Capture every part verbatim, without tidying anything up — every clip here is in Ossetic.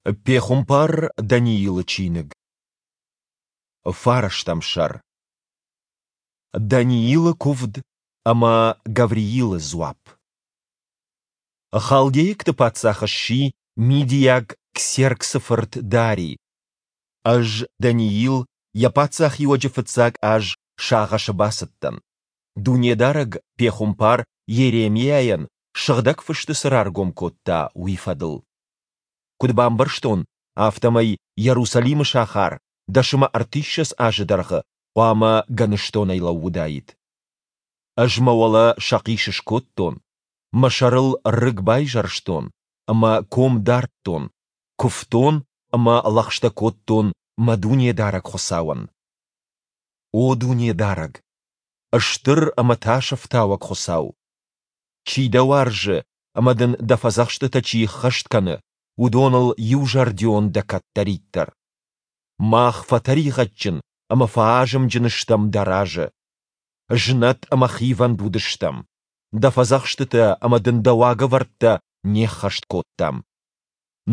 Пехуымпар Даниилы чиныг, фарӕстӕм сӕр. Даниилы куывд ӕмӕ Гавриилы дзуапп. Халдейӕгты паддзах сси мидийаг Ксерксы фырт Дари. Ӕз, Даниил, йӕ паддзахиуӕджы фыццаг аз сагъӕсы бацыдтӕн, Дунедарӕг пехуымпар Йеремиайӕн Сыгъдӕг Фысты цы раргом кодта, уый фӕдыл. Куыд бамбӕрстон, афтӕмӕй Йерусалимы сахар дӕс ӕмӕ ӕртиссӕдз азы дӕргъы хъуамӕ гӕныстонӕй лӕууыдаид. Ӕз мӕ уӕлӕ сӕхъис скодтон, мӕ сӕрыл рыг байзӕрстон ӕмӕ ком дардтон, куывтон ӕмӕ лӕгъстӕ кодтон мӕ Дунедарӕг Хуыцауӕн. О Дунедарӕг, стыр ӕмӕ тасӕфтауӕг Хуыцау! Чи дӕ уарзы ӕмӕ дын дӕ фӕдзӕхстытӕ чи ӕххӕст кӕны, уыдоныл иузӕрдион дӕ кӕддӕриддӕр. Мах фӕтӕригъӕдджын ӕмӕ фӕазымджын стӕм дӕ разы. Знӕт ӕмӕ хивӕнд уыдыстӕм, дӕ фӕдзӕхстытӕ ӕмӕ дын дӕ уагӕвӕрдтӕ не ххӕст кодтам.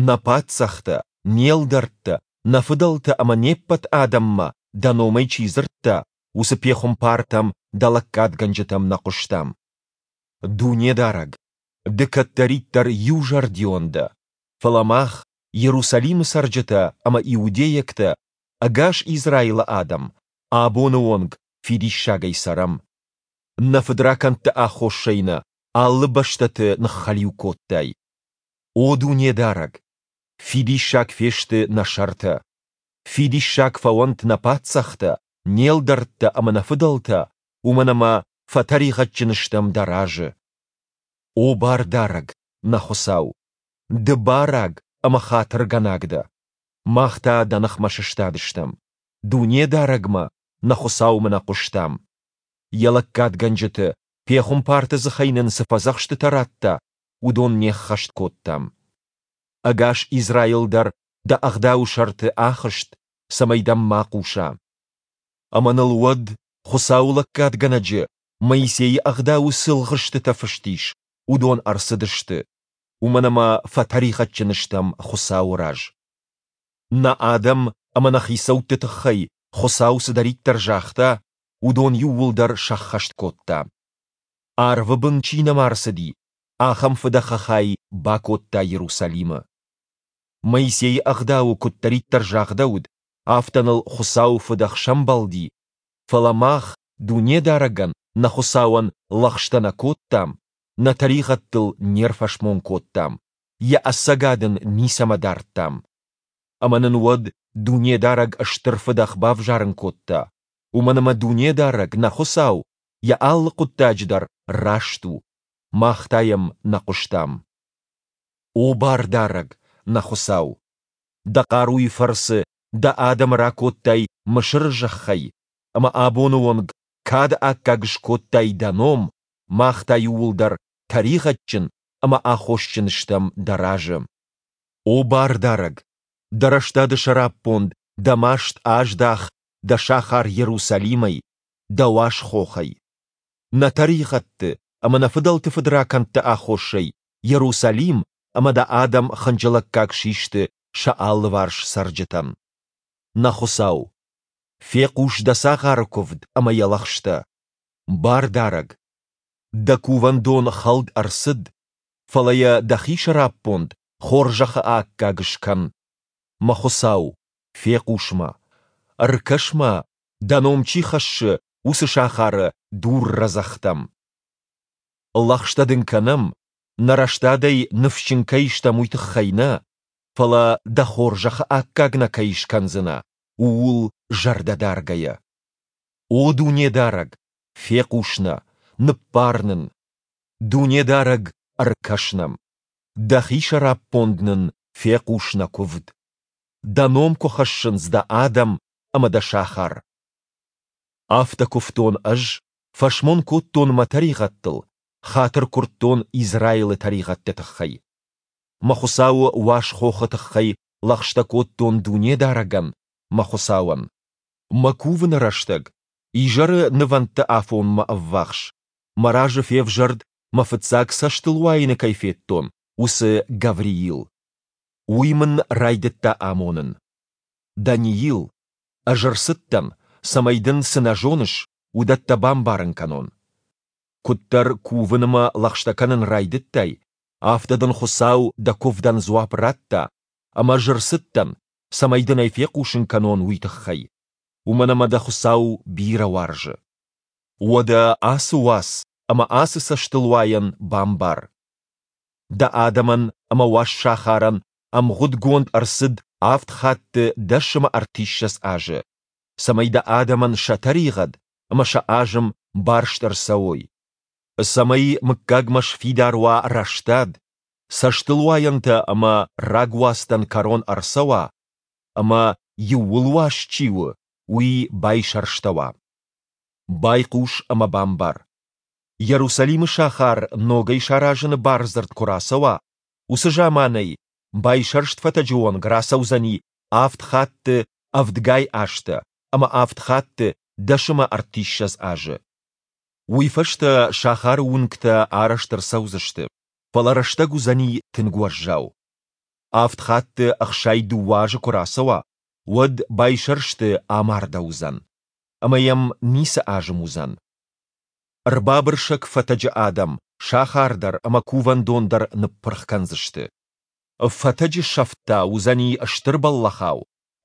Нӕ паддзӕхтӕ, не лдӕрттӕ, нӕ фыдӕлтӕ ӕмӕ не ппӕт адӕммӕ дӕ номӕй чи дзырдта, уыцы пехуымпартӕм, дӕ лӕггадгӕнджытӕм нӕ хъуыстам. Дунедарӕг, ды кӕддӕриддӕр иузӕрдион дӕ, фӕлӕ мах, Йерусалимы цӕрджытӕ ӕмӕ иудейӕгтӕ, ӕгас Израилы адӕм, абоны онг фидиссагӕй цӕрӕм. Нӕ фыдракӕндты аххосӕй нӕ алы бӕстӕты ныххӕлиу кодтай. О Дунедарӕг, фидиссаг фесты нӕ сӕртӕ! Фидиссаг фӕуӕнт нӕ паддзӕхтӕ, не лдӕрттӕ ӕмӕ нӕ фыдӕлтӕ, уымӕн ӕмӕ фӕтӕригъӕдджын стӕм дӕ разы. О Бардарӕг, нӕ Хуыцау! Ды бараг ӕмӕ хатыргӕнаг дӕ, мах та дӕ ныхмӕ сыстадыстӕм, Дунедарӕгмӕ, нӕ Хуыцаумӕ нӕ хъуыстам. Йӕ лӕггадгӕнджыты, пехуымпарты дзыхӕй нын цы фӕдзӕхстытӕ радта, уыдон не ххӕст кодтам. Ӕгас Израил дӕр дӕ ӕгъдауы сӕрты ахызт, цӕмӕй дӕм ма хъуса. Ӕмӕ ныл уӕд, Хуыцауы лӕггадгӕнӕджы, Моисейы ӕгъдауы цы лгъыстытӕ фыст ис, уыдон ӕрцыдысты, уымӕн ӕмӕ фӕтӕригъӕдджын стӕм Хуыцауы раз. Нӕ адӕм ӕмӕ нӕ хицӕутты тыххӕй Хуыцау цыдӕриддӕр загъта, уыдон иууылдӕр сӕххӕст кодта. Арвы бын чи нӕма рцыди, ахӕм фыдӕхы хай бакодта Иерусалимы. Моисейы ӕгъдауы куыддӕриддӕр загъдӕуыд, афтӕ ныл Хуыцауы фыдӕх сӕмбӕлди, фӕлӕ мах Дунедарӕгӕн, нӕ Хуыцауӕн, лӕгъстӕ нӕ кодтам, нӕ тӕригъӕдтыл не рфӕсмон кодтам, йӕ ӕцӕгад ын ницӕмӕ дардтам. Ӕмӕ нын уӕд Дунедарӕг стыр фыдӕх бавзарын кодта, уымӕн ӕмӕ Дунедарӕг, нӕ Хуыцау, йӕ алы хъуыддаджы дӕр раст у, мах та йӕм нӕ хъуыстам. О Бардарӕг, нӕ Хуыцау! Дӕ хъаруйы фӕрцы дӕ адӕмы ракодтай Мысыры зӕххӕй, ӕмӕ абоны онг кады аккаг скодтай дӕ ном, мах та иууылдӕр тӕригъӕдджын ӕмӕ аххосджын стӕм дӕ разы. О Бардарӕг, дӕ рӕстады сӕраппонд дӕ маст аздах дӕ сахар Йерусалимӕй, дӕ уаз хохӕй. Нӕ тӕригъӕдты ӕмӕ нӕ фыдӕлты фыдракӕндты аххосӕй Йерусалим ӕмӕ дӕ адӕм хынджылӕггаг систы сӕ алыварс цӕрджытӕн. Нӕ Хуыцау, фехъус дӕ цагъары куывд ӕмӕ йӕ лӕгъстӕ. Бардарӕг, дӕ кувӕндон хӕлд ӕрцыд, фӕлӕ йӕ дӕхи сӕраппонд хорзӕхы аккаг скӕн. Мӕ Хуыцау, фехъус-ма, ӕркӕс-ма, дӕ ном чи хӕссы, уыцы сахары дуррӕдзӕгъдтӕм. Лӕгъстӕ дын кӕнӕм, нӕ рӕстадӕй ныфсджын кӕй стӕм, уый тыххӕй нӕ, фӕлӕ дӕ хорзӕхы аккаг нӕ кӕй скӕндзынӕ, ууыл зӕрдӕ даргӕйӕ. О Дунедарӕг, фехъус нӕ, ныббар нын! Дунедарӕг, ӕркӕс нӕм! Дӕхи сӕраппонд нын фехъус нӕ куывд. Дӕ ном куы хӕссынц дӕ адӕм ӕмӕ дӕ сахар. Афтӕ куывтон ӕз, фӕсмон кодтон мӕ тӕригъӕдтыл, хатыр куырдтон Израилы тӕригъӕдты тыххӕй. Мӕ Хуыцауы уаз хохы тыххӕй лӕгъстӕ кодтон Дунедарӕгӕн, мӕ Хуыцауӕн. Мӕ кувыны рӕстӕг, изӕры нывӕндты афонмӕ ӕввахс, мӕ разы февзӕрд, мӕ фыццаг цӕстылуайыны кӕй федтон, уыцы Гавриил. Уый мын райдыдта амонын. Даниил, ӕз ӕрцыдтӕн, цӕмӕй дын, цы нӕ зоныс, уыдӕттӕ бамбарын кӕнон. Куыддӕр кувын ӕмӕ лӕгъстӕ кӕнын райдыдтай, афтӕ дын Хуыцау дӕ куывдӕн дзуапп радта, ӕмӕ ӕз ӕрцыдтӕн, цӕмӕй дын ӕй фехъусын кӕнон, уый тыххӕй. Уымӕн ӕмӕ дӕ Хуыцау бирӕ уарзы. Уӕдӕ ацы уац ӕмӕ ацы цӕстылуайӕн бамбар. Дӕ адӕмӕн ӕмӕ уаз сахарӕн ӕмгъуыдгонд ӕрцыд авд хатты дӕс ӕмӕ ӕртиссӕдз азы, цӕмӕй дӕ адӕмӕн сӕ тӕригъӕд ӕмӕ сӕ азым барст ӕрцӕуой, цӕмӕй мыггагмӕ сфидар уа рӕстад, цӕстылуайӕнтӕ ӕмӕ рагуацтӕн кӕрон ӕрцӕуа, ӕмӕ, иууылуаз чи у, уый байсӕрстӕуа. Байхъус ӕмӕ бамбар. Иерусалимы сахар ногӕй саразыны бардзырд куы рацӕуа, уыцы заманӕй байсӕрст фӕтӕджы онг рацӕудзӕни авд хатты ӕвдгай азтӕ ӕмӕ авд хатты дӕс ӕмӕ ӕртиссӕдз азы. Уый фӕстӕ сахары уынгтӕ арӕзт ӕрцӕудзысты, фӕлӕ рӕстӕг уыдзӕни тынг уӕззау. Авд хатты ӕхсай дыууӕ азы куы рацӕуа, уӕд байсӕрсты амардӕуыдзӕн, ӕмӕ йӕм ницы азым уыдзӕн. Ӕрбабырсӕг фӕтӕджы адӕм сахар дӕр ӕмӕ кувӕндон дӕр ныппырх кӕндзысты. Фӕтӕджы сӕфт та уыдзӕни стыр бӕллӕхау,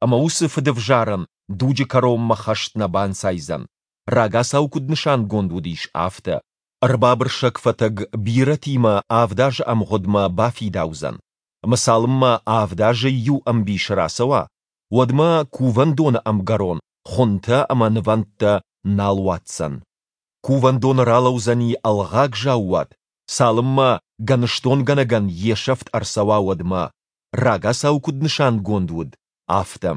ӕмӕ уыцы фыдӕвзарӕн дуджы кӕронмӕ хӕст нӕ банцайдзӕн, рагацау куыд нысангонд уыдис, афтӕ. Ӕрбабырсӕг фӕтӕг бирӕтимӕ авд азы ӕмгъуыдмӕ бафидаудзӕн, ӕмӕ цалынмӕ авд азы иу ӕмбис рацӕуа, уӕдмӕ кувӕндоны ӕмгӕрон хуынтӕ ӕмӕ нывӕндтӕ нал уадздзӕн. Кувӕндоны ралӕудзӕни ӕлгъаг заууат, цалынмӕ гӕныстонгӕнӕгӕн йе сӕфт ӕрцӕуа, уӕдмӕ, рагацау куыд нысангонд уыд, афтӕ.